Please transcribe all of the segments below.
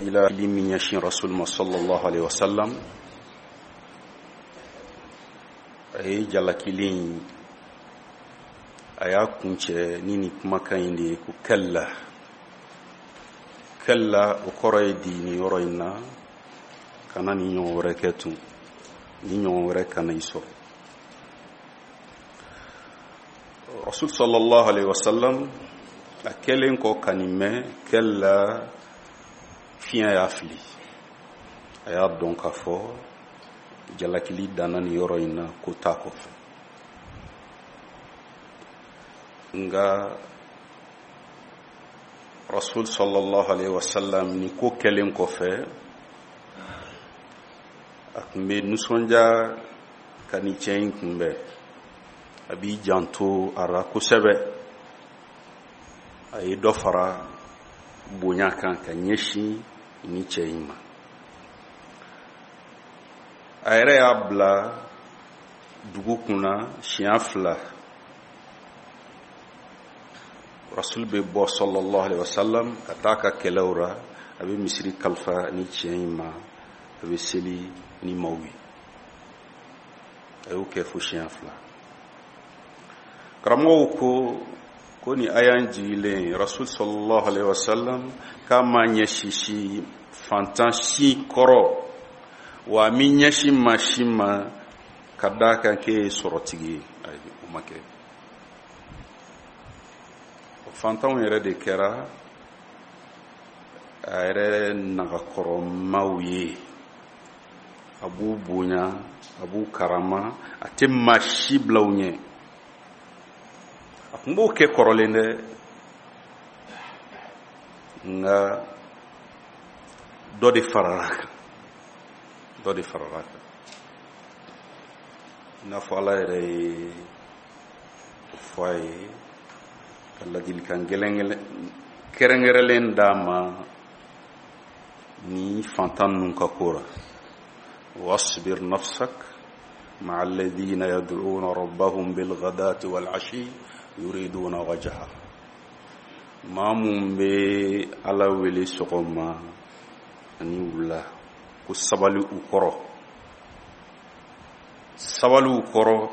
Ila min ɲɛsin rasul ma sallallahu alaihi wasallam, a ye jalakili in, a y'a kuncɛ ni nin kumakan in de ye ko kalla. Kalla, o kɔrɔ ye di nin yɔrɔ in na, kana nin ɲɔgɔn wɛrɛ kɛ tun, ni ɲɔgɔn wɛrɛ kana i sɔrɔ. Rasul sallallahu alaihi wasallam a kɛlen kɔ ka nin mɛn, kalla, fiɲɛ y'a fili, a y'a dɔn k'a fɔ jalakili danna nin yɔrɔ in na, ko t'a kɔfɛ. Nka rasul sallallahu alaihi wasallam, ni ko kɛlen kɔfɛ, a tun bɛ nisɔndiya ka nin cɛ in kunbɛn, a b'i janto a la kosɛbɛ. A ye dɔ fara bonya kan ka ɲɛsin ni cɛ in ma. A yɛrɛ y'a bila dugu kunna siɲɛ fila. Rasul bɛ bɔ sallallahu alaihi wasallam ka taa ka kɛlɛw ra, a bɛ misiri kalifa ni cɛ in ma, a bɛ seli ni maaw ye. A y'o kɛ fo siɲɛ fila. Karamɔgɔw ko ni aya in jigilen, rasul sallallahu alaihi wasallam k'a ma ɲɛsin si fantan si kɔrɔ, wa a mi ɲɛsin maa si ma ka d'a kan k'e ye sɔrɔtigi ye. Ayi, o ma kɛ. Fantanw yɛrɛ de kɛra a yɛrɛ nagakɔrɔmaw ye. A b'u bonya, a b'u karama, a tɛ maa si bila u ɲɛ. A tun b'o kɛ kɔrɔlen dɛ, nka dɔ de farala a kan, dɔ de farala a kan. I n'a fɔ Ala yɛrɛ ye o fɔ a ye ka ladilikan gɛlɛn kɛrɛnkɛrɛnlen d'a ma ni fantan ninnu ka ko la: wasbir nafsak ma'a alladhina yad'una rabbahum bilghadati wal ashi yuriduna wajha. Maa mun bɛ Ala wele sɔgɔma ani wula, ko sabali u kɔrɔ, sabali u kɔrɔ,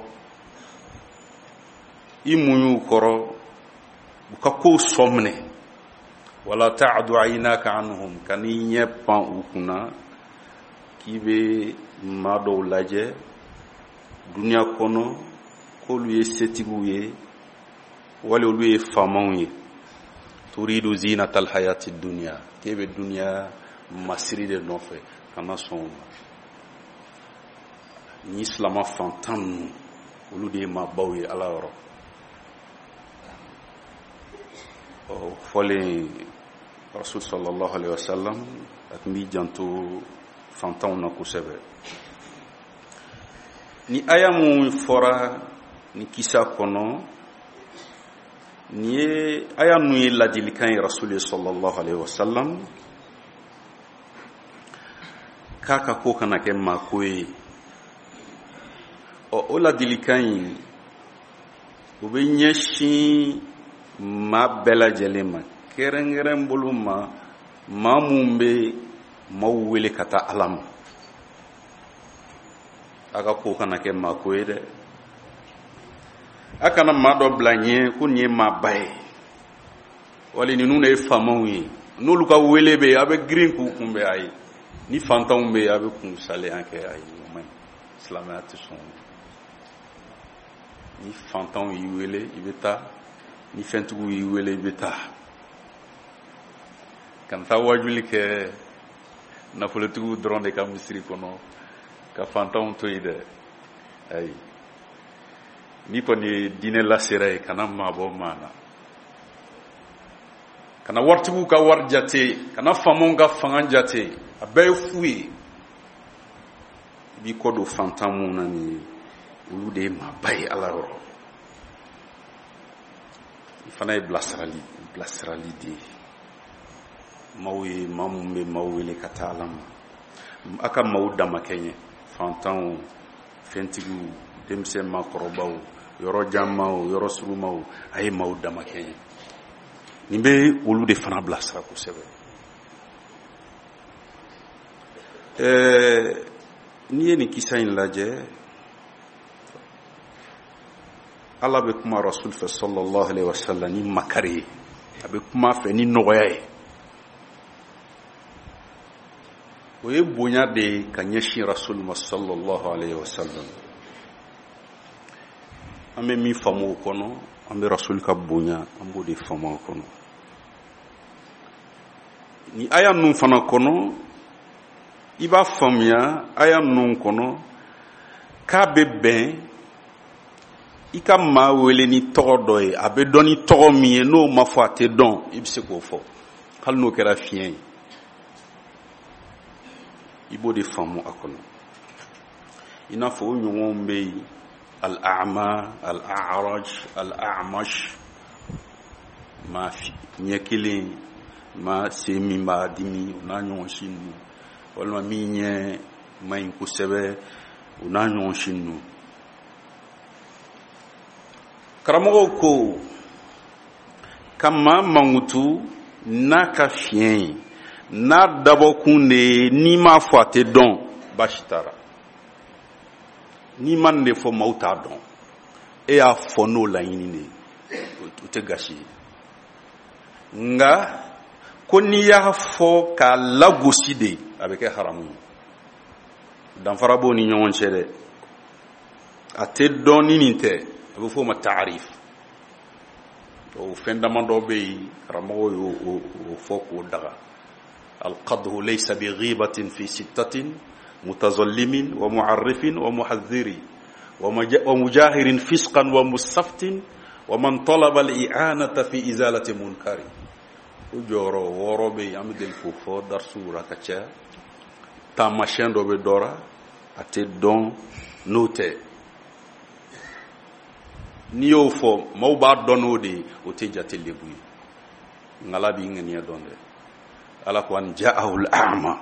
i muɲu u kɔrɔ, u ka kow sɔ minɛ. Wala ta'du aynaka anhum, ka n'i ɲɛ pan u kunna k'i bɛ maa dɔw lajɛ duniya kɔnɔ k'olu ye setigiw ye wali olu ye faamaw ye. Turidu zinatal hayati dunya, k'e bɛ duniya masiri de nɔfɛ, kana sɔn o ma. Ni silama fantan ninnu, olu de ye maabaw ye Ala yɔrɔ. Ɔ fɔlen, rasul sallallahu alaihi wasallam a tun b'i janto fantanw na kosɛbɛ. Ni aya mun fɔra ni kisa kɔnɔ, nin ye aya ninnu ye ladilikan ye rasul ye sallallahu alaihi wasallam k'a ka ko kana kɛ maako ye. Ɔ o ladilikan in, o bɛ ɲɛsin maa bɛɛ lajɛlen ma, kɛrɛnkɛrɛn bolo ma maa mun bɛ maaw wele ka taa Ala ma. A ka ko kana kɛ maako ye dɛ. A kana maa dɔ bila ɲɛ ko nin ye maaba ye wali ninnu de ye faamaw ye, n'olu ka wele bɛ yen, a bɛ girin k'u kunbɛn. Ayi, ni fantanw bɛ yen, a bɛ kun salenya kɛ. Ayi, o man ɲi, silamɛya tɛ sɔn o ma. Ni fantanw y'i wele, i bɛ taa. Ni fɛntigiw y'i wele, i bɛ taa. Kana taa wajuli kɛ nafolotigiw dɔrɔn de ka misiri kɔnɔ ka fantanw to yen dɛ. Ayi, n'i kɔni ye diinɛ lasera ye, kana maabɔ maa na, kana waritigiw ka wari jate, kana faamaw ka fanga jate, a bɛɛ ye fu ye. I b'i kɔ don fantan mun na nin ye, olu de ye maaba ye Ala yɔrɔ. I fana ye bilasirali de ye maaw ye, maa mun bɛ maaw wele ka taa Ala ma. A ka maaw damakɛɲɛ, fantanw, fɛntigiw, denmisɛn, maakɔrɔbaw, yɔrɔ janmaw, yɔrɔ surumaw, a ye maaw damakɛɲɛ. Nin bɛ olu de fana bilasira kosɛbɛ. N'i ye nin kisa in lajɛ, Ala bɛ kuma Rasul fɛ sallallahu alaihi wasallam ni makari ye, a bɛ kuma fɛ ni nɔgɔya ye. O ye bonya de ye ka ɲɛsin Rasul ma sallallahu alaihi wasallam. An bɛ min faamu o kɔnɔ, an bɛ Rasul ka bonya, an b'o de faamu o kɔnɔ. Ni aya ninnu fana kɔnɔ, i b'a faamuya aya ninnu kɔnɔ k'a bɛ bɛn i ka maa wele ni tɔgɔ dɔ ye, a bɛ dɔn ni tɔgɔ min ye, n'o ma fɔ a tɛ dɔn, i bɛ se k'o fɔ hali n'o kɛra fiɲɛ ye, i b'o de faamu a kɔnɔ. I n'a fɔ o ɲɔgɔnw bɛ yen, al-a'ma, al-a'raj, al-a'mash, maa ɲɛ kelen, maa sen min b'a dimi, o n'a ɲɔgɔn si ninnu, walima min ɲɛ man ɲi kosɛbɛ, o n'a ɲɔgɔn si ninnu. Karamɔgɔw ko ka maa mankutu n'a ka fiɲɛ ye, n'a dabɔkun de ye, n'i m'a fɔ a tɛ dɔn, baasi t'a la. N'i ma nin de fɔ, maaw t'a dɔn, e y'a fɔ n'o laɲini de ye, o tɛ gasi ye. Nka ko n'i y'a fɔ k'a lagosi de, a bɛ kɛ haramu ye. Danfara b'o ni ɲɔgɔn cɛ dɛ. A tɛ dɔn ni nin tɛ, a bɛ f'o ma taarif. O fɛn damadɔ bɛ yen, karamɔgɔw y'o fɔ k'o daga. Alqadhu laysa bi ghibatin fi sittatin mutazallimin wa mu'arrifin wa muhadhdhiri wa mujahirin fisqan wa mustaftin wa man talaba al-i'anata fi izalati munkari. O jɔyɔrɔ wɔɔrɔ bɛ yen, an bɛ deli k'o fɔ darisuw la ka caya. Taamasiyɛn dɔ bɛ dɔ la, a tɛ dɔn n'o tɛ. N'i y'o fɔ, maaw b'a dɔn n'o de ye, o tɛ jate lebu ye. Nka Ala b'i ŋaniya dɔn dɛ. Ala ko an ja'ahu al-a'ma.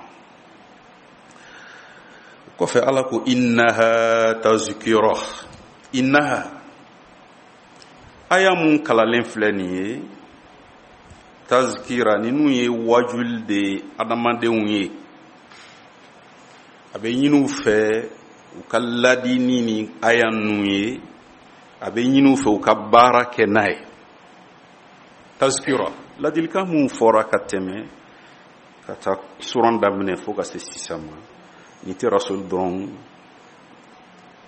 O kɔfɛ Ala ko innaha tazkira. Innaha, aya mun kalalen filɛ nin ye, tazkira, ninnu ye wajuli de ye adamadenw ye. A bɛ ɲini u fɛ u ka ladi ni nin aya ninnu ye, a bɛ ɲini u fɛ u ka baara kɛ n'a ye. Tazkira, ladilikan mun fɔra ka tɛmɛ ka taa suran daminɛ fo ka se sisan ma, nin tɛ Rasul dɔrɔn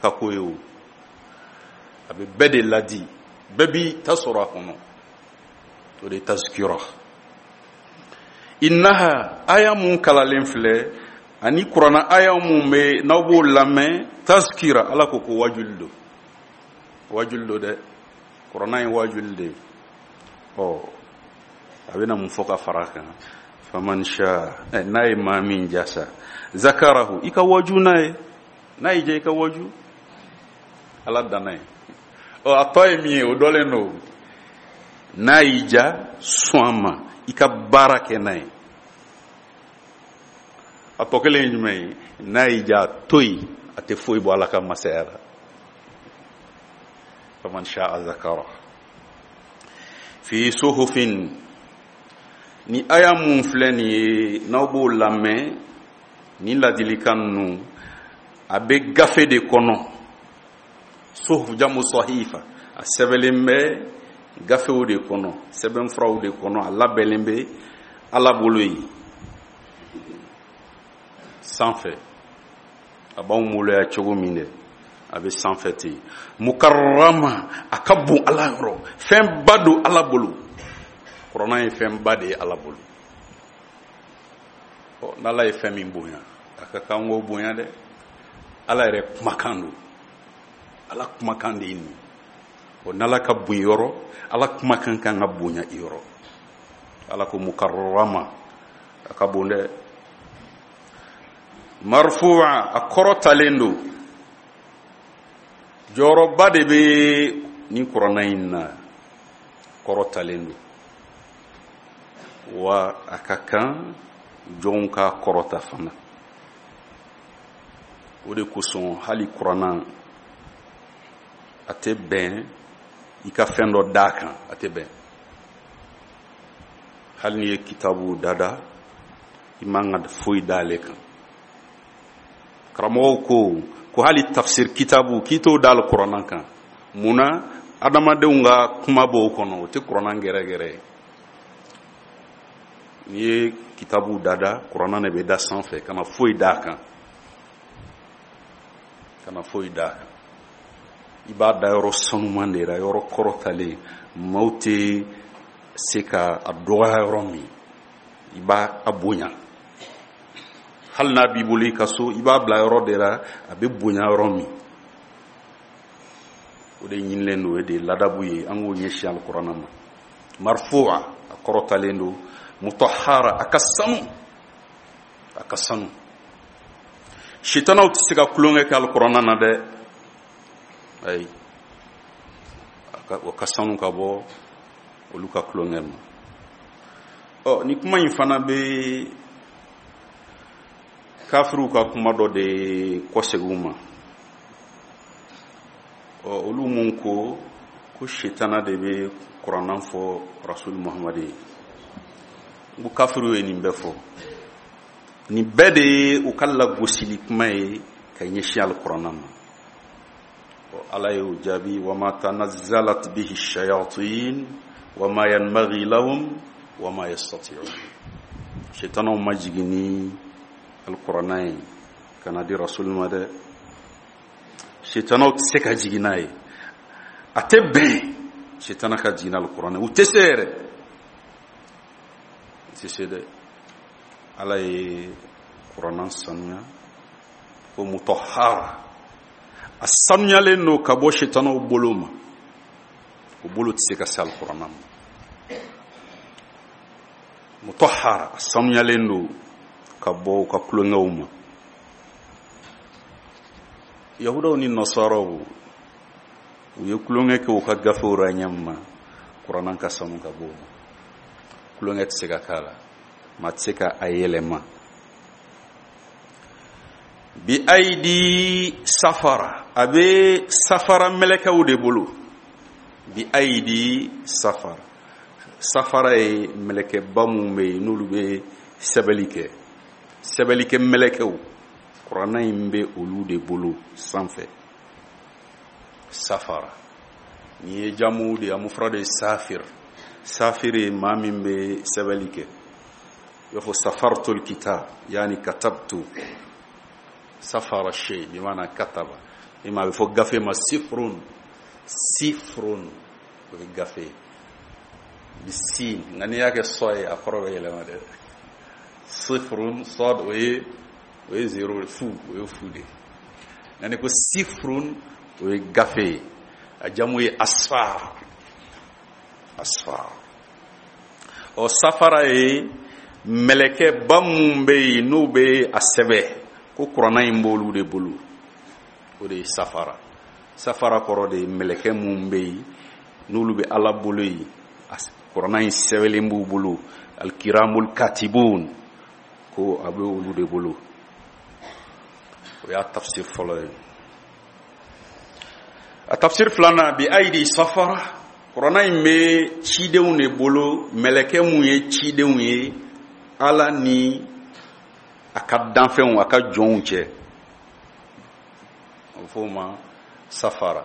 ka ko ye o, a bɛ bɛɛ de ladi, bɛɛ b'i ta sɔrɔ a kɔnɔ. O de ye tazkira. Innaha, aya mun kalalen filɛ, ani kuranna aya mun bɛ n'aw b'o lamɛn, tazkira, Ala ko ko wajuli don. Wajuli don dɛ, kuranna ye wajuli de ye. Ɔ, a bɛna mun fɔ ka fara a kan? Faman sha, n'a ye maa min jasa, zakarahu, i ka waju n'a ye, n'a y'i diya i ka waju, Ala danna ye. Ɔ, a tɔ ye min ye, o dɔlen don. N'a y'i diya, sɔn a ma, i ka baara kɛ n'a ye. A tɔ kelen ye jumɛn ye? N'a y'i diya, a to yen, a tɛ foyi bɔ Ala ka masaya la. Faman sha'a zakara. Fi suhufin, ni aya mun filɛ nin ye, n'aw b'o lamɛn, ni ladilikan ninnu, a bɛ gafe de kɔnɔ. Suhuf jamu sahifa, a sɛbɛnlen bɛ gafew de kɔnɔ, sɛbɛnfuraw de kɔnɔ, a labɛnlen bɛ Ala bolo yen sanfɛ. A b'anw bolo yan cogo min dɛ, a bɛ sanfɛ ten. Mukarrama, a ka bon Ala yɔrɔ, fɛnba don Ala bolo. Kuranna ye fɛnba de ye Ala bolo. Ɔ, n'Ala ye fɛn min bonya, a ka kan k'o bonya dɛ. Ala yɛrɛ kumakan don, Ala kumakan de ye nin ye. Ɔ, n'Ala ka bon yɔrɔ, Ala kumakan kan ka bonya i yɔrɔ. Ala ko mukarrama, a ka bon dɛ. Marfu'a, a kɔrɔtalen don. Jɔyɔrɔba de bɛ nin kuranna in na, kɔrɔtalen don. Wa a ka kan jɔnw ka kɔrɔta fana. O de kosɔn hali kuranna a tɛ bɛn i ka fɛn dɔ d'a kan, a tɛ bɛn. Hali n'i ye kitabu dada, i man ka foyi d'ale kan. Karamɔgɔw ko ko hali tafsir kitabu k'i t'o da alikuranna kan. Mun na? Adamadenw ka kuma b'o kɔnɔ, o tɛ kuranna gɛrɛgɛrɛ ye. N'i ye kitabu dada, kuranna de bɛ da sanfɛ, kana foyi d'a kan, kana foyi d'a kan. I b'a da yɔrɔ sanuman de la, yɔrɔ kɔrɔtalen, maaw tɛ se ka a dɔgɔya yɔrɔ min, i b'a a bonya. Hali n'a b'i bolo i ka so, i b'a bila yɔrɔ de la a bɛ bonya yɔrɔ min. O de ɲinilen don, o de ye ladabu ye, an k'o ɲɛsin alikuranna ma. Marfu'a, a kɔrɔtalen don. Mutahara, a ka sanu, a ka sanu. Sitanaw tɛ se ka tulonkɛ kɛ alikuranna na dɛ, ayi, o ka sanu ka bɔ olu ka tulonkɛ ma. Ɔ, ni kuma in fana bɛ kafiriw ka kuma dɔ de kɔsegin u ma. Ɔ, olu mun ko ko sitana de bɛ kuranna fɔ Rasul Muhammad ye, n ko kafiriw ye nin bɛɛ fɔ. Nin bɛɛ de ye u ka lagosili kuma ye ka ɲɛsin alikuranna ma. Ɔ, Ala y'o jaabi: wama tanazzalat bihi shayatin wama yanbaghi lahum wama yastati'un. Sitanaw ma jigin ni alikuranna ye ka na di Rasul ma dɛ. Sitanaw tɛ se ka jigin n'a ye, a tɛ bɛn sitana ka jigin n'alikuranna ye, u tɛ se yɛrɛ, u tɛ se dɛ. Ala ye kuranna sanuya ko mutahara, a sanuyalen don ka bɔ sitanaw bolo ma, o bolo tɛ se ka se alikuranna ma. Mutahara, a sanuyalen don ka bɔ u ka tulonkɛw ma. Yahudaw ni nasaraw, u ye tulonkɛ kɛ u ka gafew ra ɲɛ min ma, kuranna ka sanu ka bɔ o ma. Tulonkɛ tɛ se ka k'a la, maa tɛ se ka a yɛlɛma. Bi ayidi safara, a bɛ safara mɛlɛkɛw de bolo. Bi ayidi safara, safara ye mɛlɛkɛba mun bɛ yen n'olu bɛ sɛbɛnni kɛ, sɛbɛnnikɛ mɛlɛkɛw, kuranna in bɛ olu de bolo sanfɛ. Safara nin ye jamu de ye, a mufrad ye safir. Safir ye maa min bɛ sɛbɛnni kɛ. I b'a fɔ safartul kitab, yaani katabtu. Safara shay bi maana kataba. I ma a bɛ fɔ gafe ma sifrun, sifrun o ye gafe ye bi sin, nka n'i y'a kɛ sɔ ye a kɔrɔ bɛ yɛlɛma dɛ. Sifrun sɔd o ye zero fu, o ye fu de ye. Nka n'i ko sifrun o ye gafe ye, a jamu ye asfar, asfar. Ɔ, safara ye mɛlɛkɛba mun bɛ yen n'o bɛ a sɛbɛn ko kuranna in b'olu de bolo, o de ye safara. Safara kɔrɔ de ye mɛlɛkɛ mun bɛ yen n'olu bɛ Ala bolo yen, kuranna in sɛbɛnlen b'u bolo, alikiramul katibun, ko a bɛ olu de bolo. O y'a tafsir fɔlɔ ye. A tafsir filanan, bi ayidi safara, kuranna in bɛ cidenw de bolo, mɛlɛkɛ mun ye cidenw ye Ala ni a ka danfɛnw, a ka jɔnw cɛ, a bɛ fɔ o ma safara.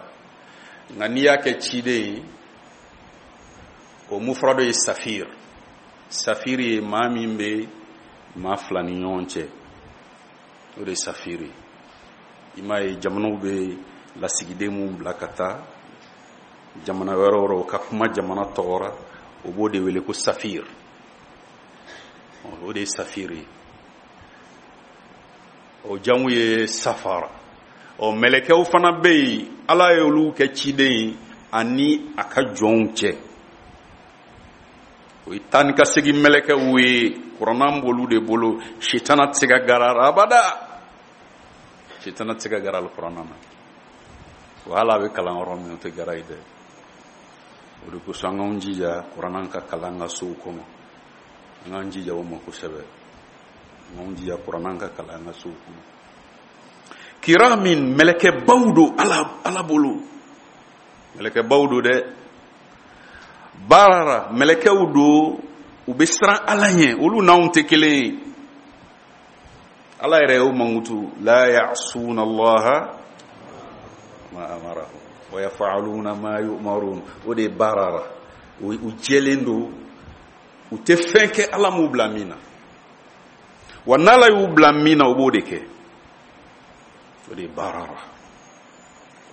Nka n'i y'a kɛ ciden ye, o mufrado ye safir. Safir ye maa min bɛ maa fila ni ɲɔgɔn cɛ, o de ye safir ye. I m'a ye jamanaw bɛ lasigiden mun bila ka taa jamana wɛrɛw rɔ, o ka kuma jamana tɔgɔ ra, o b'o de wele ko safir. O de ye safir ye. O jamu ye safara. Ɔ, mɛlɛkɛw fana bɛ yen, Ala ye olu kɛ ciden ye ani a ka jɔnw cɛ. O ye taa ni ka segin mɛlɛkɛw ye, kuranna b'olu de bolo. Sitana tɛ se ka gara abada, sitana tɛ se ka gara alikuranna na. Wa hali a bɛ kalan yɔrɔ min, o tɛ gara ye dɛ. O de kosɔn an k'an jija kuranna ka kalan an ka sow kɔnɔ, an k'an jija o ma kosɛbɛ, an k'an jija kuranna ka kalan an ka sow kɔnɔ. Kiramin, mɛlɛkɛbaw don Ala bolo, mɛlɛkɛbaw don dɛ. Baarara, mɛlɛkɛw don, u bɛ siran Ala ɲɛ, olu n'anw tɛ kelen ye. Ala yɛrɛ y'o mankutu la ya'suna allaha ma amarahum wa yaf'aluna ma yu'marun. O de ye barara, u jɛlen don, u tɛ fɛn kɛ Ala m'u bila min na, wa n'Ala y'u bila min na, u b'o de kɛ. O de ye barara.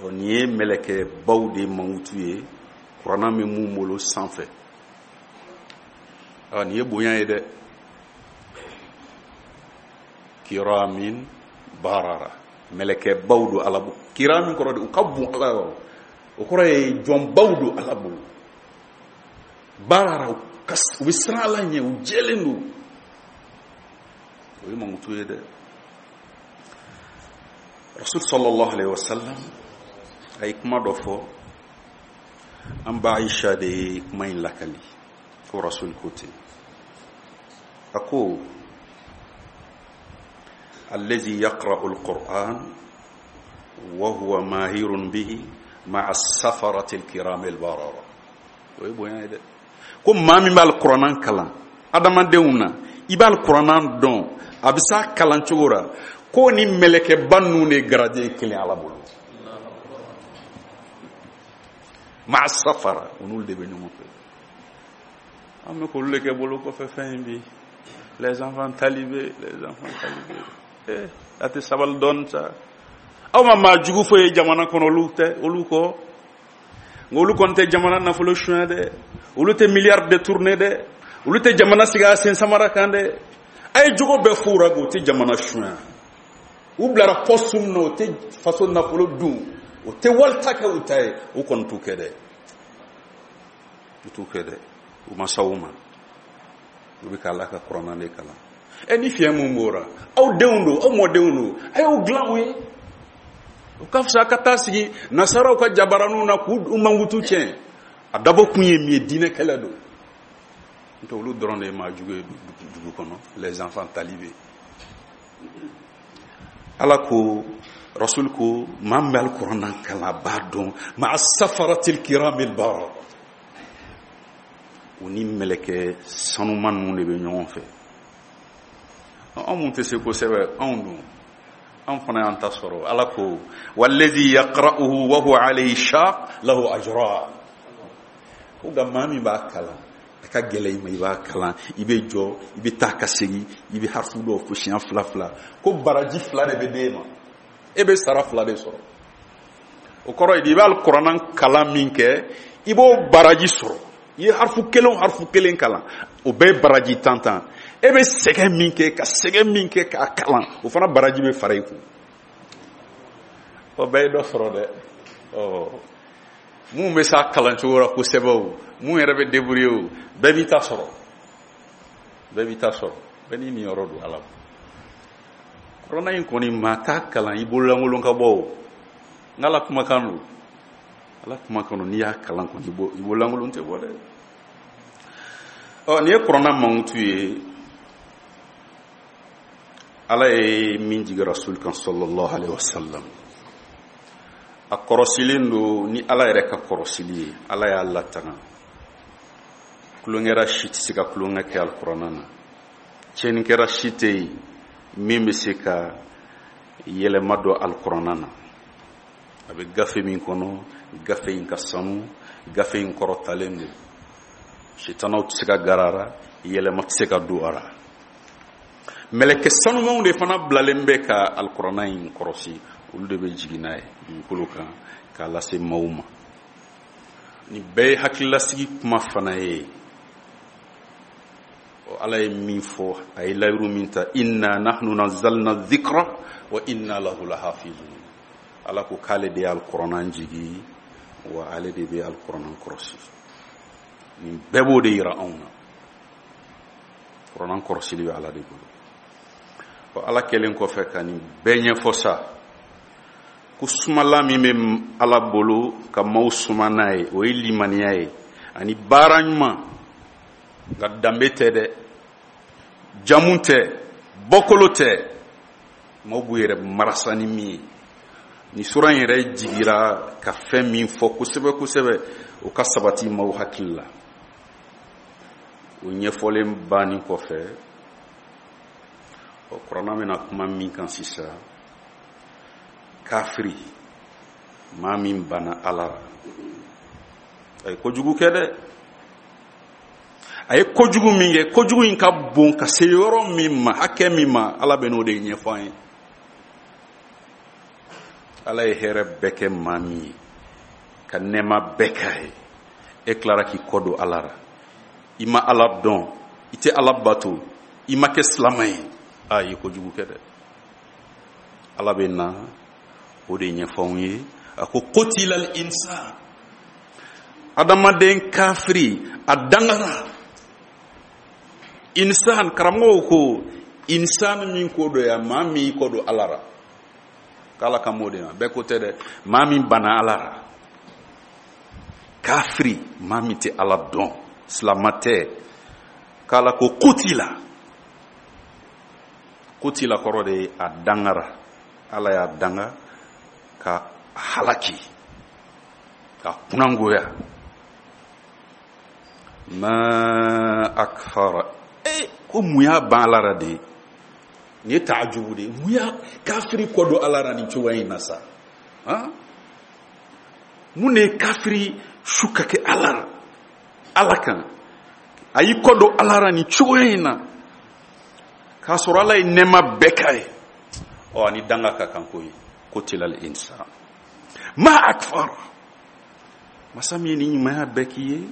Ɔ, nin ye mɛlɛkɛbaw de mankutu ye kuranna bɛ mun bolo sanfɛ. Ɔ, nin ye bonya ye dɛ. Kiramin barara, mɛlɛkɛbaw don Ala bolo. Kiramin kɔrɔ de u ka bon Ala yɔrɔ, o kɔrɔ ye jɔnbaw don Ala bolo. Barara, u bɛ siran Ala ɲɛ, u jɛlen don. O ye mankutu ye dɛ. Rasul sallallahu alaihi wasallam a ye kuma dɔ fɔ, an ba Aisha de ye kuma in lakali, ko Rasul ko ten, a ko allazi yaqra'u alquran wa huwa mahirun bihi ma'a safarati alkiram albarara. O ye bonya ye dɛ. Ko maa min bɛ alikuranna kalan adamadenw na, i bɛ alikuranna dɔn, a bɛ s'a kalan cogo la, ko ni mɛlɛkɛba ninnu de garaje ye kelen Ala bolo. Ma'a safara, u n'olu de bɛ ɲɔgɔn fɛ. An bɛ k'olu de kɛ bolo kɔfɛ fɛn in bi. Les enfants talibés, les enfants talibés. Eh, a tɛ sabali dɔɔni sa. Aw ma maa jugu foyi ye jamana kɔnɔ, olu tɛ, olu kɔ. Nka olu kɔni tɛ jamana nafolo suɲɛ dɛ, olu tɛ miliyari détourné dɛ, olu tɛ jamana sigi a sen samara kan dɛ. A ye jogo bɛɛ f'u ra, u tɛ jamana suɲɛ. U bilara poste min na, u tɛ faso nafolo dun, u tɛ wali ta kɛ u ta ye, u kɔni t'u kɛ dɛ. U t'u kɛ dɛ. U ma s'aw ma. U bɛ k'Ala ka kuranna de kalan. Ɛ, ni fiɲɛ mun bɔra, aw denw don, aw mɔdenw don, a y'o dilan u ye. O ka fisa ka taa sigi nasaraw ka jabaraninw na k'u mankutu tiɲɛ. A dabɔ kun ye min ye, diinɛ kɛlɛ don. N'o tɛ olu dɔrɔn de ye maa jugu ye dugu kɔnɔ, les enfants talibés. Ala ko, Rasul ko, maa min bɛ alikuranna kalan, a b'a dɔn, ma'a safaratil kiramil barara, u ni mɛlɛkɛ sanuman ninnu de bɛ ɲɔgɔn fɛ. Anw mun tɛ se kosɛbɛ, anw dun, an fana y'an ta sɔrɔ. Ala ko wallazi yaqra'uhu wa huwa alayhi shaq lahu ajran. Ko nka maa min b'a kalan, a ka gɛlɛn i ma, i b'a kalan, i bɛ jɔ, i bɛ taa ka segin, i bɛ harifu dɔw fɔ siɲɛ fila fila, ko baraji fila de bɛ d'e ma, e bɛ sara fila de sɔrɔ. O kɔrɔ ye di, i bɛ alikuranna kalan min kɛ, i b'o baraji sɔrɔ. I ye harifu kelen o harifu kelen kalan, o bɛɛ ye baraji tan tan. E bɛ sɛgɛn min kɛ, ka sɛgɛn min kɛ k'a kalan, o fana baraji bɛ fara i kun. O bɛɛ ye dɔ sɔrɔ dɛ. Ɔ, mun bɛ s'a kalan cogo la kosɛbɛ o, mun yɛrɛ bɛ débrouiller o, bɛɛ b'i ta sɔrɔ. Bɛɛ b'i ta sɔrɔ. Bɛɛ n'i niyɔrɔ don Ala bolo. Kuranna in kɔni, maa t'a kalan i bololankolon ka bɔ o. N'Ala kumakan don. Ala kumakan don, n'i y'a kalan kɔni, i bololankolon tɛ bɔ dɛ. Ɔ, nin ye kuranna mankutu ye. Ala ye min jigin Rasul kan sallallahu alaihi wasallam, a kɔrɔsilen don ni Ala yɛrɛ ka kɔrɔsili ye. Ala y'a latanga, tulonkɛra si tɛ se ka tulonkɛ kɛ alikuranna na, tiɲɛnikɛra si tɛ yen min bɛ se ka yɛlɛma don alikuranna na. A bɛ gafe min kɔnɔ, gafe in ka sanu, gafe in kɔrɔtalen don, sitanaw tɛ se ka gara a la, yɛlɛma tɛ se ka don a la. Mɛlɛkɛ sanumanw de fana bilalen bɛ ka alikuranna in kɔrɔsi, olu de bɛ jigin n'a ye dugukolo kan k'a lase maaw ma. Nin bɛɛ ye hakililasigi kuma fana ye. Ala ye min fɔ, a ye layiru min ta, inna nahnu nazzalna dhikra wa inna lahu lahafizun. Ala ko k'ale de ye alikuranna jigi, wa ale de bɛ alikuranna kɔrɔsi. Nin bɛɛ b'o de yira anw na. Kuranna kɔrɔsili bɛ Ala de bolo. Ɔ, Ala kɛlen kɔfɛ ka nin bɛɛ ɲɛfɔ sa, ko sumala min bɛ Ala bolo ka maaw suma n'a ye, o ye limaniya ye ani baara ɲuman. Nka danbe tɛ dɛ, jamu tɛ, bɔkolo tɛ, maaw b'u yɛrɛ marasa ni min ye. Nin sura in yɛrɛ jigira ka fɛn min fɔ kosɛbɛ kosɛbɛ, o ka sabati maaw hakili la. O ɲɛfɔlen banni kɔfɛ, Ɔ, kuranna bɛna kuma min kan sisan, kafiri, maa min banna Ala la, a ye kojugu kɛ dɛ. A ye kojugu min kɛ, kojugu in ka bon ka se yɔrɔ min ma, hakɛ min ma, Ala bɛ n'o de ɲɛfɔ an ye. Ala ye hɛrɛ bɛɛ kɛ maa min ye, ka nɛɛma bɛɛ k'a ye, e tilara k'i kɔ don Ala la, i ma Ala dɔn, i tɛ Ala bato, i ma kɛ silama ye, a ye kojugu kɛ dɛ. Ala bɛ na o de ɲɛfɔ anw ye. A ko kotilal insan, adamaden kafiri a dangara. Insan, karamɔgɔw ko insan min ko don yan, maa min kɔ don Ala la, k'Ala kan b'o de ma, bɛɛ ko tɛ dɛ, maa min banna Ala la, kafiri, maa min tɛ Ala dɔn, silama tɛ, k'Ala ko kutila. Kutila kɔrɔ de ye a dangara, Ala y'a danga ka halaki, ka kunangoya. Ma akfara, e ko mun y'a ban Ala la de ye? Nin ye taajubu de ye. Mun y'a kafiri kɔ don Ala la nin cogoya in na sa? Han? Mun de ye kafiri su ka kɛ Ala la, Ala kan? A y'i kɔ don Ala la nin cogoya in na k'a sɔrɔ Ala ye nɛɛma bɛɛ k'a ye. Ɔ, ani danga ka kan koyi. Kutilal insan ma akfara, masa min ye nin ɲumanya bɛɛ k'i ye,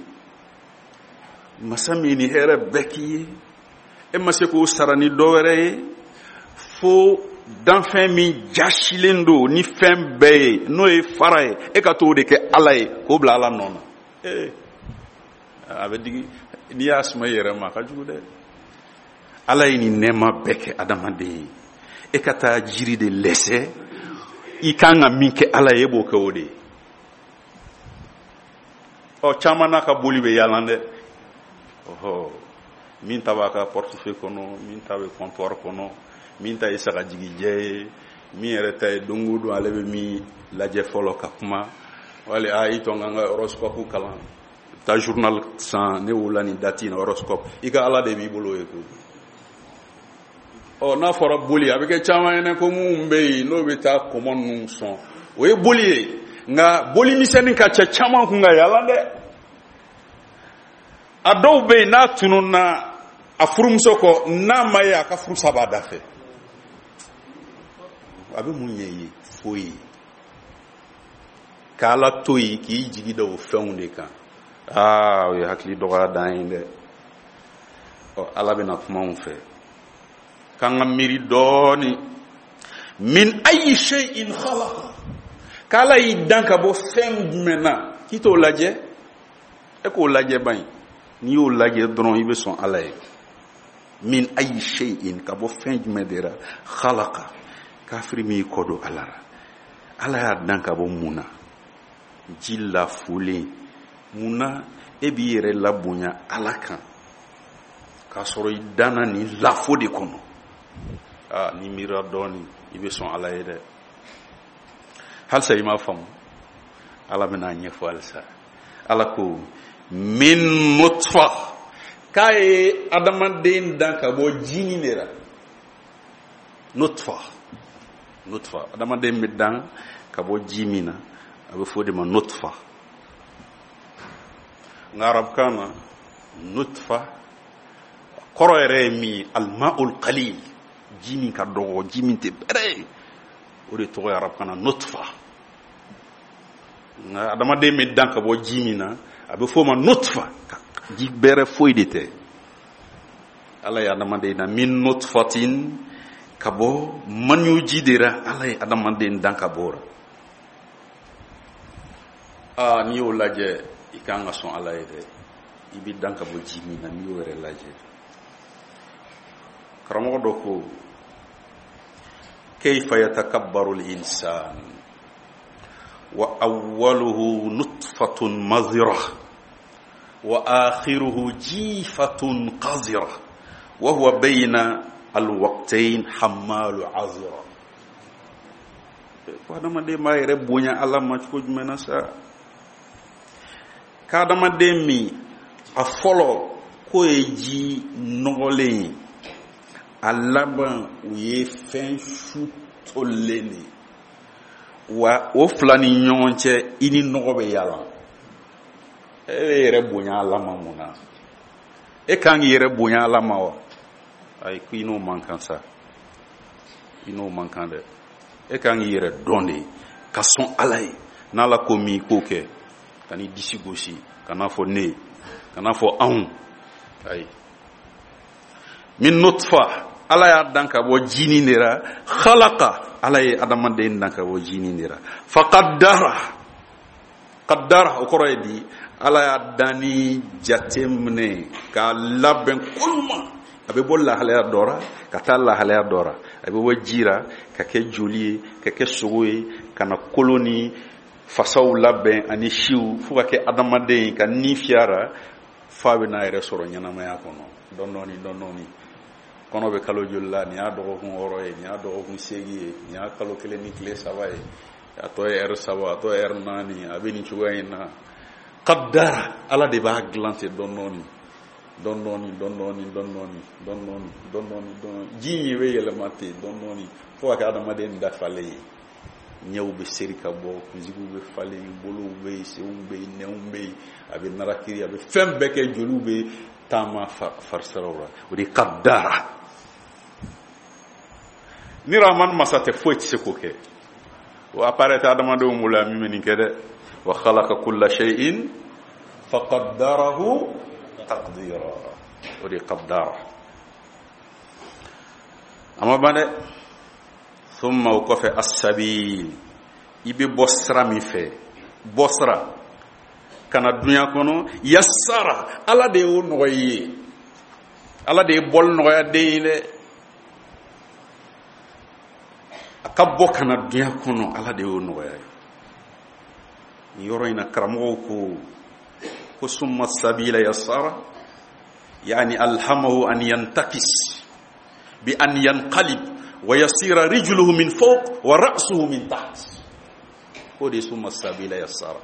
masa min ye nin hɛrɛ bɛɛ k'i ye, e ma se k'o sara ni dɔ wɛrɛ ye fo danfɛn min jasilen don ni fɛn bɛɛ ye, n'o ye fara ye, e ka t'o de kɛ Ala ye k'o bila Ala nɔ na. Ee, a bɛ digi n'i y'a suma i yɛrɛ ma, a ka jugu dɛ. Ala ye nin nɛɛma bɛɛ kɛ adamaden ye, e ka taa jiri de lɛsɛ, i kan ka min kɛ Ala ye, e b'o kɛ o de ye. Ɔ, caman n'a ka boli bɛ yaala dɛ. Ɔhɔ, min ta b'a ka portefeuille kɔnɔ, min ta bɛ comptoir kɔnɔ, min ta ye sagajigijɛ ye, min yɛrɛ ta ye don o don ale bɛ min lajɛ fɔlɔ ka kuma, wali a i tɔ n ka n ka horoscope kalan, taa journal san, ne wolola nin date in na, horoscope, i ka Ala de b'i bolo ye koyi. Ɔ, n'a fɔra boli, a bɛ kɛ caman ɲɛna ko minnu bɛ yen n'o bɛ taa kɔmɔ ninnu sɔn, o ye boli ye, nka boli misɛnnin ka ca caman kun ka yaala dɛ. A dɔw bɛ yen n'a tununna a furumuso kɔ, n'a ma ye a ka furusa b'a da fɛ, a bɛ mun ɲɛ i ye? Foyi. K'Ala to yen k'i jigi da o fɛnw de kan, aa, o ye hakili dɔgɔya dan ye dɛ. Ɔ, Ala bɛna kuma anw fɛ k'an ka miiri dɔɔni. Min ayi shay'in khalaqa, k'Ala y'i dan ka bɔ fɛn jumɛn na, k'i t'o lajɛ, e k'o lajɛ ban ye. N'i y'o lajɛ dɔrɔn, i bɛ sɔn Ala ye. Min ayi shay'in, ka bɔ fɛn jumɛn de la, khalaqa, kafiri min y'i kɔ don Ala la, Ala y'a dan ka bɔ mun na? Ji lafulen. Mun na e b'i yɛrɛ labonya Ala kan k'a sɔrɔ i danna nin lafo de kɔnɔ? Aa, n'i miirila dɔɔni, i bɛ sɔn Ala ye dɛ. Halisa i m'a faamu, Ala bɛna a ɲɛfɔ halisa. Ala ko min nutfa, k'a ye adamaden dan ka bɔ jinin de la. Nutfa, nutfa, adamaden bɛ dan ka bɔ ji min na, a bɛ fɔ o de ma nutfa. Nka arabukan na, nutfa kɔrɔ yɛrɛ ye min ye, almaul qalil, ji min ka dɔgɔ, ji min tɛ bɛrɛ ye, o de tɔgɔ ye arabukan na nutfa. Nka adamaden bɛ dan ka bɔ ji min na, a bɛ fɔ o ma nutfa, ji bɛrɛ foyi de tɛ. Ala ye adamaden dan min nutfatin, ka bɔ maniyu ji de la, Ala ye adamaden dan ka bɔ o la. Aa, n'i y'o lajɛ, i kan ka sɔn Ala ye dɛ. I bɛ dan ka bɔ ji min na, n'i y'o yɛrɛ lajɛ. Karamɔgɔ dɔ ko kayfa yatakabbaru al-insan wa awwaluhu nutfatun mazira wa akhiruhu jifatun qazira wa huwa bayna alwaqtayn hammalu azira. Ko adamaden b'a yɛrɛ bonya Ala ma cogo jumɛn na sa? K'adamaden min a fɔlɔ k'o ye ji nɔgɔlen ye, A laban u ye fɛn su tolilen de ye. Wa o fila ni ɲɔgɔn cɛ, i ni nɔgɔ bɛ yaala. E bɛ yɛrɛ bonya Ala ma mun na? E kan k'i yɛrɛ bonya Ala ma wa? Ayi, ko i n'o man kan sa, i n'o man kan dɛ. E kan k'i yɛrɛ dɔn de ka sɔn Ala ye. N'Ala ko min, i k'o kɛ. Kan'i disi gosi, kan'a fɔ ne, kan'a fɔ anw. Ayi. Min nutfa, Ala y'a dan ka bɔ jinin de ra. Khalaqa, Ala ye adamaden dan ka bɔ jinin de ra. Faqaddara, qaddara o kɔrɔ ye di? Ala y'a danni jate minɛ k'a labɛn koɲuman. A bɛ bɔ lahalaya dɔ ra ka taa lahalaya dɔ ra. A bɛ bɔ ji ra ka kɛ joli ye, ka kɛ sogo ye, ka na kolo ni fasaw labɛn ani siw, fo ka kɛ adamaden ye, ka ni fiyara, f'a bɛ n'a yɛrɛ sɔrɔ ɲɛnamaya kɔnɔ dɔɔni dɔɔni dɔɔni dɔɔni. Kɔnɔ bɛ kalo joli la? Nin y'a dɔgɔkun 6 ye, nin y'a dɔgɔkun 8 ye, nin y'a kalo 1 ni tile 3 ye, a tɔ ye ɛri 3, a tɔ ye ɛri 4, a bɛ nin cogoya in na. Qaddara, Ala de b'a dilan ten dɔɔni dɔɔni dɔɔni dɔɔni dɔɔni dɔɔni dɔɔni dɔɔni dɔɔni dɔɔni dɔɔni. Ji in bɛ yɛlɛma ten dɔɔni dɔɔni fo ka kɛ adamaden dafalen ye. Ɲɛw bɛ seri ka bɔ, kunsigiw bɛ falen, bolow bɛ yen, senw bɛ yen, nɛnw bɛ yen, a bɛ narakiri, a bɛ fɛn bɛɛ kɛ, joliw bɛ taama farisiraw la. O de qaddara. Ni Rahman masa tɛ, foyi tɛ se k'o kɛ. O appareil tɛ adamadenw bolo yan min bɛ nin kɛ dɛ. Wa khalaqa kulla shay'in faqaddarahu taqdira. O de qaddara. A ma ban dɛ. Thumma, o kɔfɛ, as-sabil, i bɛ bɔ sira min fɛ, bɔ sira ka na dunya kɔnɔ, yassara, Ala de y'o nɔgɔya i ye. Ala de ye bɔli nɔgɔya den ye dɛ. A ka bɔ ka na dunya kɔnɔ, Ala de y'o nɔgɔya ye. Nin yɔrɔ in na, karamɔgɔw ko ko summa sabila yassara, yani alhamahu an yantakis bi an yanqalib wa yasira rijluhu min fawq wa ra'suhu min taht. O de summa sabila yassara.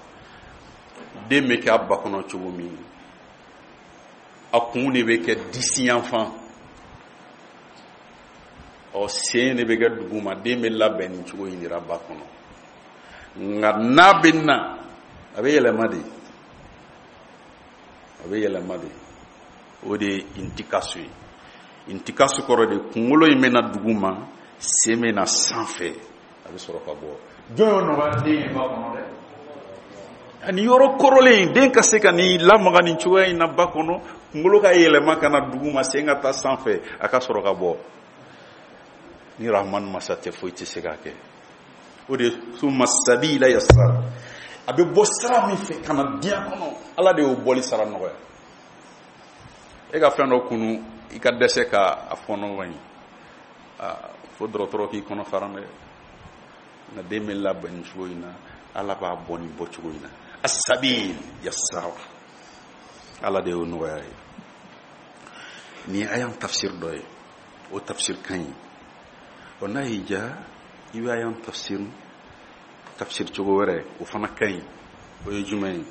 Den bɛ kɛ a ba kɔnɔ cogo min, a kun de bɛ kɛ disi yanfan, ɔ sen de bɛ kɛ duguma. Den bɛ labɛn nin cogo in de la ba kɔnɔ. Nka n'a bɛ na, a bɛ yɛlɛma de, a bɛ yɛlɛma de. O de ye intikasu ye. Intikasu kɔrɔ de, kunkolo in bɛ na duguma, sen bɛ na sanfɛ, a bɛ sɔrɔ ka bɔ. Jɔn y'o nɔgɔya den ye ba kɔnɔ dɛ? Ani yɔrɔ kɔrɔlen, den ka se ka nin lamaga nin cogoya in na ba kɔnɔ, kunkolo ka yɛlɛma ka na duguma, sen ka taa sanfɛ, a ka sɔrɔ ka bɔ. Ni Rahman masa tɛ, foyi tɛ se k'a kɛ. O de summa sabila yassara. A bɛ bɔ sira min fɛ ka na diɲɛ kɔnɔ, Ala de y'o bɔli sara nɔgɔya. E ka fɛn dɔ kunu, i ka dɛsɛ ka a fɔɔnɔ ka ɲi, fo dɔgɔtɔrɔ k'i kɔnɔ fara dɛ. Nka den bɛ labɛn nin cogo in na, Ala b'a bɔ nin bɔ cogo in na. Asabil yassara, Ala de y'o nɔgɔya ye. Nin ye ayan tafsir dɔ ye, o tafsir ka ɲi. Ɔ n'a y'i diya, i bɛ ayan tafsir cogo wɛrɛ, o fana ka ɲi. O ye jumɛn ye?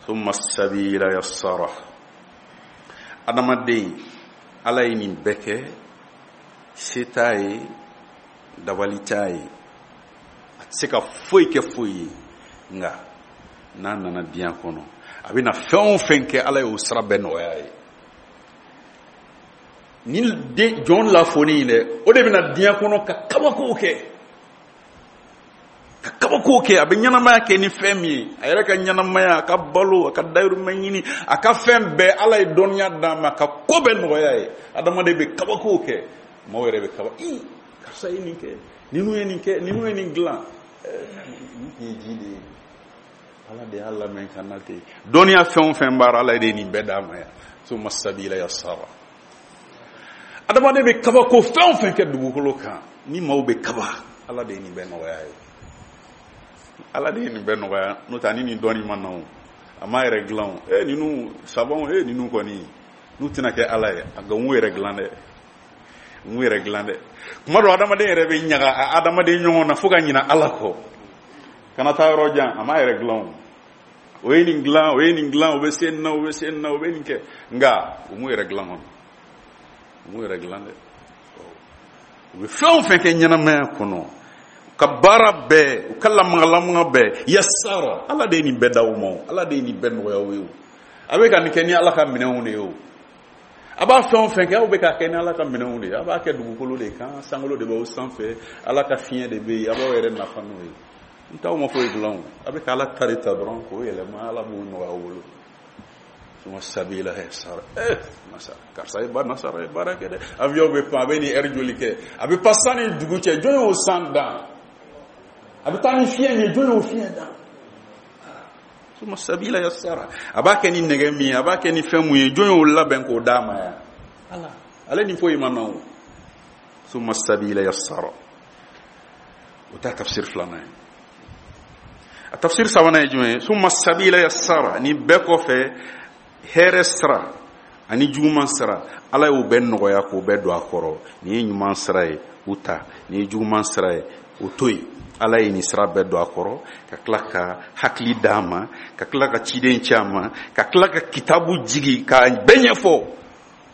Thumma sabila yassara. Adamaden, Ala ye nin bɛɛ kɛ, se t'a ye, dabali t'a ye, a tɛ se ka foyi kɛ foyi ye. Nka n'a nana diɲɛ kɔnɔ, a bɛna fɛn o fɛn kɛ, Ala y'o sira bɛɛ nɔgɔya ye. Ni den jɔn lafoni in dɛ, o de bɛna diɲɛ kɔnɔ ka kabakow kɛ, ka kabakow kɛ. A bɛ ɲɛnamaya kɛ ni fɛn min ye, a yɛrɛ ka ɲɛnamaya, a ka balo, a ka dayirimɛ ɲini, a ka fɛn bɛɛ, Ala ye dɔnniya d'a ma ka ko bɛɛ nɔgɔya ye. Adamaden bɛ kabakow kɛ, maaw yɛrɛ bɛ kaba, ii, karisa ye nin kɛ, ninnu ye nin kɛ, ninnu ye nin dilan. Nin tun ye ji de ye, Ala de y'a lamɛn ka na ten. Dɔnniya fɛn o fɛn b'a la, Ala de ye nin bɛɛ d'a ma yan. Summa sabila yassara. Adamaden bɛ kabako fɛn o fɛn kɛ dugukolo kan, ni maaw bɛ kaba, Ala de ye nin bɛɛ nɔgɔya ye. Ala de ye nin bɛɛ nɔgɔya. N'o tɛ, ani nin dɔnni ma na o, a m'a yɛrɛ dilan o. Ninnu sabanw, ninnu kɔni n'u tɛna kɛ Ala ye, a nka u m'u yɛrɛ dilan dɛ, u m'u yɛrɛ dilan dɛ. Kuma dɔ, adamaden yɛrɛ bɛ ɲaga a adamaden ɲɔgɔn na fo ka ɲina Ala kɔ. Kana taa yɔrɔ jan, a m'a yɛrɛ dilan o. O ye nin dilan, o ye nin dilan, o bɛ se nin na, o bɛ se nin na, o bɛ nin kɛ, nka u m'u yɛrɛ dilan kɔnɔ. U m'u yɛrɛ dilan dɛ. U bɛ fɛn o fɛn kɛ ɲɛnamaya kɔnɔ, u ka baara bɛɛ, u ka lamagalamaga bɛɛ, yasara, Ala de ye nin bɛɛ d'aw ma o, Ala de ye nin bɛɛ nɔgɔya aw ye o. A bɛ ka nin kɛ ni Ala ka minɛnw de ye o. A b'a fɛn o fɛn kɛ, aw bɛ k'a kɛ ni Ala ka minɛnw de ye. A b'a kɛ dugukolo de kan, sankolo de b'aw sanfɛ, Ala ka fiɲɛ de bɛ yen, a b'aw yɛrɛ nafa n'o ye. N t'aw ma foyi dilan o. A bɛ ka Ala ta de ta dɔrɔn k'o yɛlɛma, Ala b'o nɔgɔya aw bolo. Suma sabila yasara. Masa, karisa ye ba nasara ye baara kɛ dɛ. Avion bɛ pan, a bɛ nin heure joli kɛ? A bɛ pan san ni dugu cɛ, jɔn y'o san dan? A bɛ taa ni fiɲɛ ye, jɔn y'o fiɲɛ dan? Suma sabila yasara. A b'a kɛ ni nɛgɛ min ye, a b'a kɛ ni fɛn mun ye, jɔn y'o labɛn k'o d'a ma yan? Ala. Ale ni foyi ma na o. Suma sabila yasara. O t'a tafsir filanan ye. A tafsir sabanan ye jumɛn ye? Summa sabila yassara. Nin bɛɛ kɔfɛ, hɛrɛ sira ani juguman sira, Ala y'o bɛɛ nɔgɔya k'o bɛɛ don a kɔrɔ. Nin ye ɲuman sira ye, o ta. Nin ye juguman sira ye, o to yen. Ala ye nin sira bɛɛ don a kɔrɔ, ka tila ka hakili d'a ma, ka tila ka ciden ci a ma, ka tila ka kitabu jigi k'a bɛɛ ɲɛfɔ.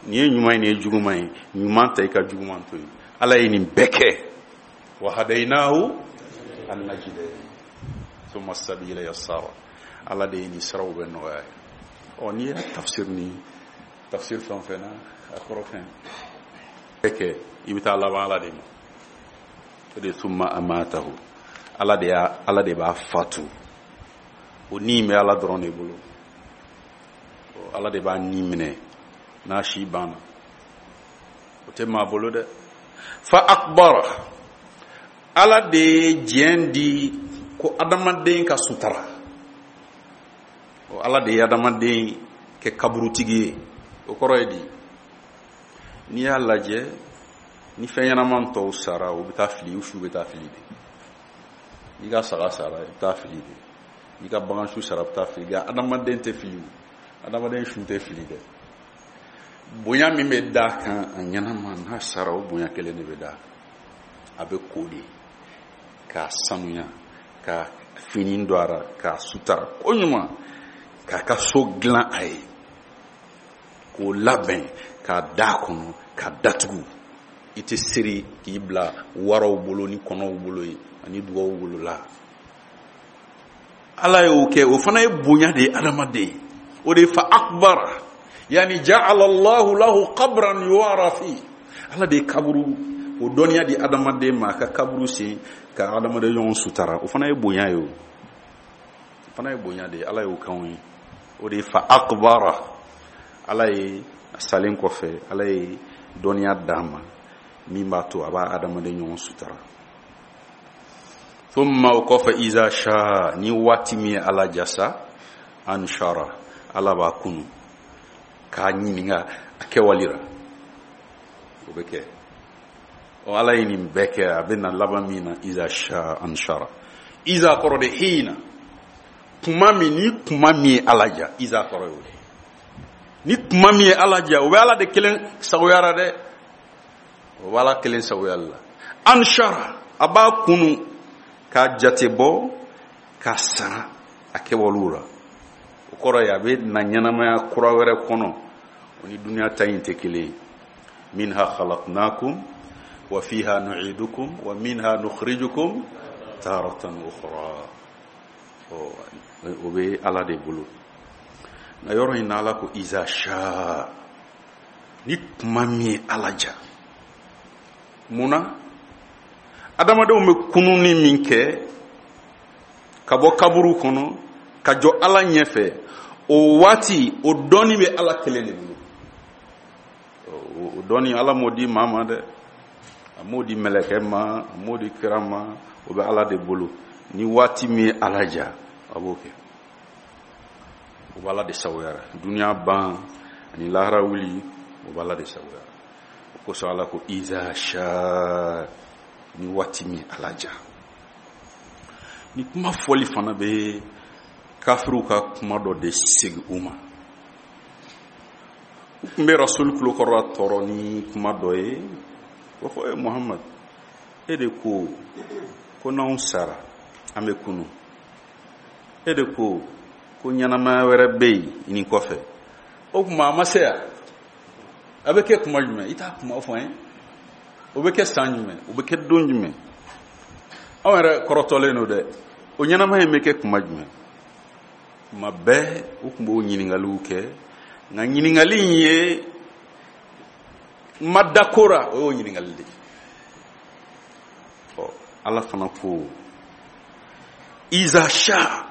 Nin ye ɲuman ye, nin ye juguman ye. Ɲuman ta, i ka juguman to yen. Ala ye nin bɛɛ kɛ. Wa hadaynahu an-najdayn. Summa sabila yassara. Ala de ye nin siraw bɛɛ nɔgɔya ye. N'i y'a tafsir ni tafsir fɛn o fɛn na, a kɔrɔ fɛn bɛɛ kɛ, i bɛ taa laban Ala de ma. O de ye summa amatahu. Ala de y'a, Ala de b'a fatu. O ni bɛ Ala dɔrɔn de bolo. Ala de b'a ni minɛ n'a si banna. O tɛ maa bolo dɛ. Fa akbara. Ala de ye diɲɛ di ko adamaden ka sutara. Ala de ye adamaden kɛ kaburutigi ye. O kɔrɔ ye di? N'i y'a lajɛ, ni fɛn ɲɛnaman tɔw sara, u bɛ taa fili, u su bɛ taa fili de. N'i ka saga sara, i bɛ taa fili de. N'i ka bagan su sara, i bɛ taa fili. Nka adamaden tɛ fili o. Adamaden su tɛ fili dɛ. Bonya min bɛ d'a kan a ɲɛnama, n'a sara, o bonya kelen de bɛ d'a kan. A bɛ ko de k'a sanuya, ka fini don a ra, k'a sutara koɲuman, k'a ka so dilan a ye, k'o labɛn, k'a d'a kɔnɔ, k'a datugu. I tɛ seri k'i bila waraw bolo ni kɔnɔw bolo ye ani dugaw bolo la. Ala y'o kɛ, o fana ye bonya de ye adamaden. O de ye fa akbara, yani ja'ala Allahu lahu qabran yuwara fi. Ala de ye kaburu o dɔnniya di adamaden ma, a ka kaburu sen ka adamaden ɲɔgɔn sutara. O fana ye bonya ye o. O fana ye bonya de ye, Ala y'o k'anw ye. O de ye fa akbara. Ala ye a salen kɔfɛ, Ala ye dɔnniya d'a ma min b'a to a b'a adamaden ɲɔgɔn sutara. Thumma o kɔfɛ, iza sha, ni waati min ye Ala jasa, anshara, Ala b'a kunu k'a ɲininka a kɛwale la. O bɛ kɛ. Ala ye nin bɛɛ kɛ, a bɛ na laban min na, iza sha anshara. Iza kɔrɔ de hina, kuma min, ni kuma min ye Ala ja, iza kɔrɔ y'o de. Ni kuma min ye Ala ja, o bɛ Ala de kelen sagoya la dɛ. O bɛ Ala kelen sagoya la. Anshara, a b'a kunu k'a jate bɔ, k'a sara a kɛwalew la. O kɔrɔ ye a bɛ na ɲɛnamaya kura wɛrɛ kɔnɔ, o ni duniya ta in tɛ kelen ye. Minha khalaqnakum wa fiha nu'idukum wa minha nukhrijukum taratan ukhra. O bɛ Ala de bolo. Nka yɔrɔ in na Ala ko iza sha, ni kuma min ye Ala ja. Mun na? Adamadenw bɛ kununi min kɛ ka bɔ kaburu kɔnɔ ka jɔ Ala ɲɛfɛ, o waati o dɔnni bɛ Ala kelen de bolo. O dɔnni Ala m'o di maa ma dɛ, a m'o di mɛlɛkɛ ma, a m'o di kira ma, o bɛ Ala de bolo. Ni waati min ye Ala ja, a b'o kɛ. O bɛ Ala de sagoya la. Duniya ban ani lahara wuli, o bɛ Ala de sagoya la. O kosɔn Ala ko iza sha, ni waati min ye Ala ja. Ni kuma fɔli fana bɛ kafiriw ka kuma dɔ de segin u ma. U tun bɛ Rasul tulokɔrɔla tɔɔrɔ ni kuma dɔ ye. O ko, e Muhamad, e de ko ko n'anw sara an bɛ kunu. E de ko ko ɲɛnamaya wɛrɛ bɛ yen nin kɔfɛ. O tuma a ma se yan. A bɛ kɛ kuma jumɛn? I t'a kuma fɔ an ye. O bɛ kɛ san jumɛn? O bɛ kɛ don jumɛn? Anw yɛrɛ kɔrɔtɔlen don dɛ. O ɲɛnamaya in bɛ kɛ kuma jumɛn? Kuma bɛɛ u tun b'o ɲininkaliw kɛ, nka ɲininkali in ye ma da ko ra, o y'o ɲininkali de ye. Ɔ, Ala fana ko iza sha,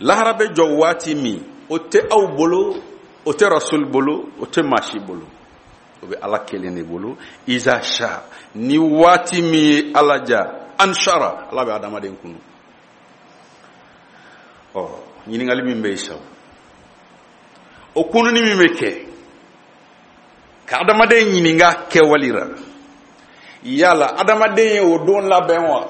lahara bɛ jɔ waati min, o tɛ aw bolo, o tɛ rasul bolo, o tɛ maa si bolo, o bɛ Ala kelen de bolo. Iza sha, ni waati min ye Ala ja, anshara, Ala bɛ adamaden kunu. Ɔ, ɲininkali min bɛ yen sa, o kununi min bɛ kɛ ka adamaden ɲininka kɛwali ra, yala adamaden ye o don labɛn wa?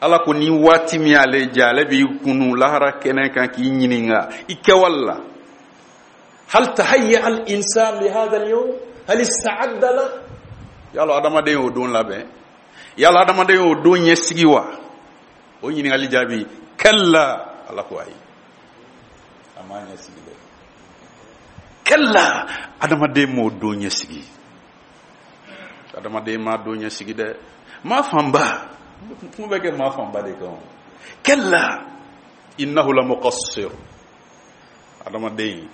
Ala ko ni waati min y'ale ja, ale b'i kunu lahara kɛnɛ kan k'i ɲininka i kɛwali la. Hal tahayya al insan li hadha al yawm, hal ista'adda la? Yala adamaden y'o don labɛn? Yala adamaden y'o don ɲɛsigi wa? O ɲininkali jaabi, kalla, Ala ko ayi, a m'a ɲɛsigi dɛ. Kalla, adamaden m'o don ɲɛsigi, adamaden m'a don ɲɛsigi dɛ. Maa fanba, kuma bɛ kɛ maa fanba de kan. Kalla innahu la muqassir, adamaden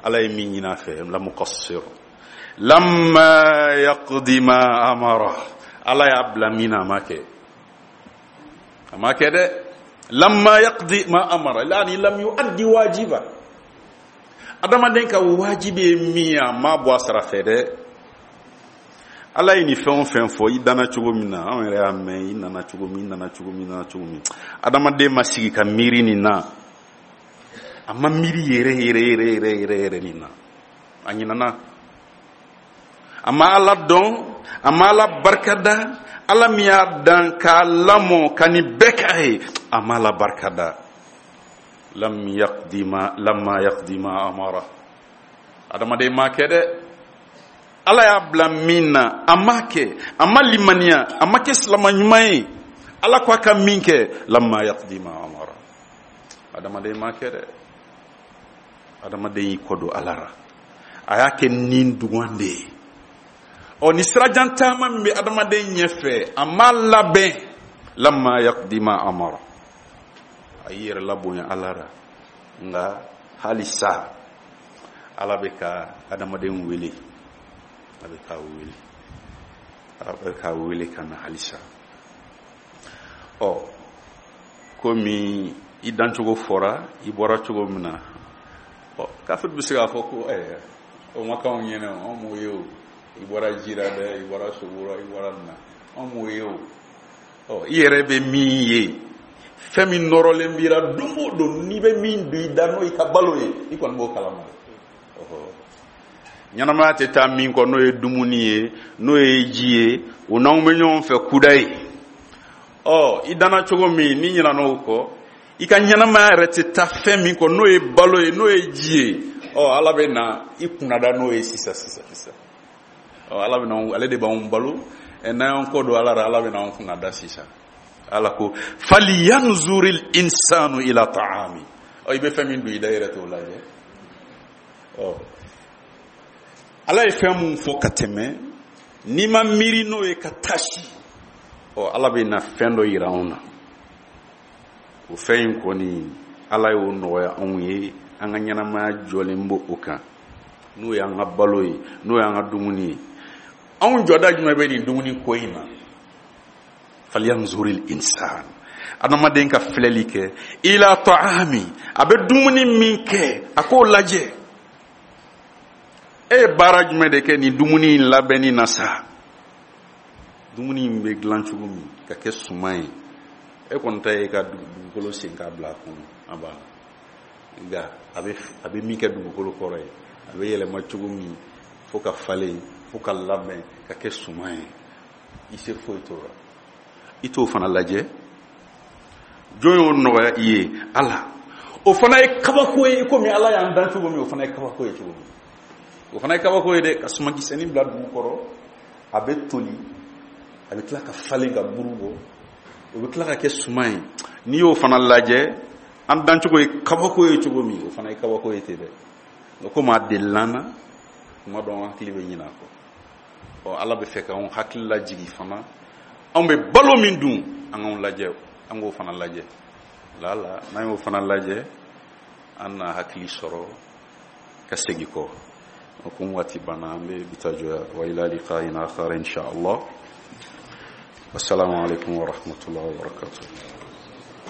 Ala ye min ɲini a fɛ, la muqassir, lamma yaqdi ma amara, Ala y'a bila min na a ma kɛ, a ma kɛ dɛ. Lamma yaqdi ma amara, yani lam yuaddi wajiba, adamaden ka wajibi ye min ye, a ma bɔ a sira fɛ dɛ. Ala ye nin fɛn o fɛn fɔ, i danna cogo min na, anw yɛrɛ y'a mɛn, i nana cogo min, i nana cogo min, i nana cogo min, adamaden ma sigi ka miiri nin na, a ma miiri yɛrɛ yɛrɛ yɛrɛ yɛrɛ yɛrɛ yɛrɛ nin na, a ɲinana, a ma Ala dɔn, a ma Ala barikada, Ala min y'a dan k'a lamɔ ka nin bɛɛ k'a ye, a ma Ala barikada. Lam yaqdi ma, lamma yaqdi ma amara, adamaden ma kɛ dɛ. Ala y'a bila min na, a ma kɛ, a ma limaniya, a ma kɛ silama ɲuman ye. Ala ko a ka min kɛ, lamma yaqdi ma amara, adamaden ma kɛ dɛ. Adamaden y'i kɔ don Ala ra, a y'a kɛ nin dugan de ye. Ɔ, ni sirajan taama min bɛ adamaden ɲɛfɛ, a m'a labɛn. Lamma yaqdi ma amara, a y'i yɛrɛ labonya Ala ra. Nka halisa Ala bɛ ka adamaden wele, a bɛ k'a wele, a bɛ k'a wele ka na halisa. Ɔ, komi i dancogo fɔra, i bɔra cogo min na, ɔ, kafiri bɛ se k'a fɔ ko ɛɛ, o ma k'anw ɲɛna o, anw m'o ye o, i bɔra ji la dɛ, i bɔra sogo la, i bɔra nin na, anw m'o ye o. Ɔ, i yɛrɛ bɛ min ye, fɛn min nɔrɔlen b'i la don o don, n'i bɛ min don i da n'o y'i ka balo ye, i kɔni b'o kalama dɛ. Ɲɛnamaya tɛ taa min kɔ, n'o ye dumuni ye, n'o ye ji ye, o n'anw bɛ ɲɔgɔn fɛ kuda ye. Ɔ, i danna cogo min, n'i ɲinɛna o kɔ, i ka ɲɛnamaya yɛrɛ tɛ taa fɛn min kɔ, n'o ye balo ye, n'o ye ji ye. Ɔ, Ala bɛ na i kunnada n'o ye sisan sisan sisan. Ɔ, Ala bɛ na, ale de b'anw balo. Ɛ, n'an y'an kɔ don Ala la, Ala bɛ na anw kunnada sisan. Ala ko falyanzuril insanu ila ta'ami. Ɔ, i bɛ fɛn min don i da, i yɛrɛ t'o lajɛ. Ɔ, Ala ye fɛn mun fɔ ka tɛmɛ, n'i ma miiri n'o ye ka taasi, ɔ, Ala bɛ na fɛn dɔ yira anw na. O fɛn in kɔni, Ala y'o nɔgɔya anw ye, an ka ɲɛnamaya jɔlen b'o o kan, n'o y'an ka balo ye, n'o y'an ka dumuni ye. Anw jɔda jumɛn bɛ nin dumuni ko in na? Falyanzuril insan, adamaden ka filɛli kɛ, ila ta'ami, a bɛ dumuni min kɛ, a k'o lajɛ. E ye baara jumɛn de kɛ nin dumuni in labɛnni na sa? Dumuni in bɛ dilan cogo min ka kɛ suman ye, e kɔni ta ye ka dugukolo sen k'a bila a kɔnɔ, a banna. Nka a bɛ min kɛ dugukolo kɔrɔ ye, a bɛ yɛlɛma cogo min fo ka falen, fo ka labɛn ka kɛ suman ye, i se foyi t'o la. I t'o fana lajɛ. Jɔn y'o nɔgɔya i ye? Ala. O fana ye kabako ye, i komi Ala y'an dan cogo min, o fana ye kabako ye cogo min. O fana ye kabako ye dɛ, ka sumankisɛnin bila dugu kɔrɔ, a bɛ toli, a bɛ tila ka falen ka buru bɔ, o bɛ tila ka kɛ suman ye. N'i y'o fana lajɛ, an dancogo ye kabako ye cogo min, o fana ye kabako ye ten dɛ. Nka komi a delila an na, kuma dɔ an hakili bɛ ɲinɛ a kɔ. Ɔ, Ala bɛ fɛ k'anw hakili lajigi fana, anw bɛ balo min dun, an k'anw lajɛ, an k'o fana lajɛ. Lala n'an y'o fana lajɛ, an na hakili sɔrɔ ka segin kɔ. O kun waati banna, an bɛ bi ta jɔ yan. Wa ila liqa'in akhar insha Allah. Wassalamu alaikum wa rahmatullahi wa barakatuh.